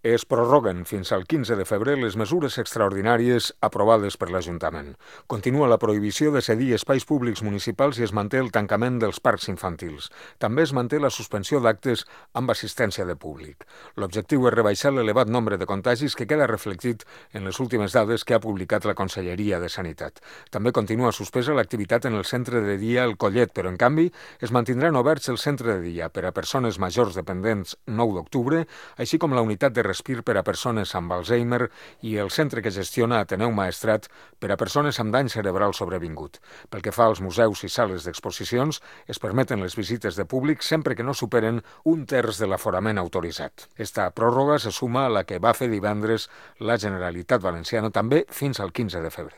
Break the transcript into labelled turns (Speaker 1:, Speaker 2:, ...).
Speaker 1: Es prorroguen fins al 15 de febrer les mesures extraordinàries aprovades per l'Ajuntament. Continua la prohibició de cedir espais públics municipals i es manté el tancament dels parcs infantils. També es manté la suspensió d'actes amb assistència de públic. L'objectiu és rebaixar l'elevat nombre de contagis que queda reflectit en les últimes dades que ha publicat la Conselleria de Sanitat. També continua suspesa l'activitat en el centre de dia El Collet, però en canvi es mantindran oberts el centre de dia per a persones majors dependents 9 d'octubre, així com la unitat de respir per a persones amb Alzheimer i el centre que gestiona Ateneu Maestrat per a persones amb dany cerebral sobrevingut. Pel que fa als museus i sales d'exposicions, es permeten les visites de públic sempre que no superen un terç de l'aforament autoritzat. Esta pròrroga se suma a la que va fer divendres la Generalitat Valenciana també fins al 15 de febrer.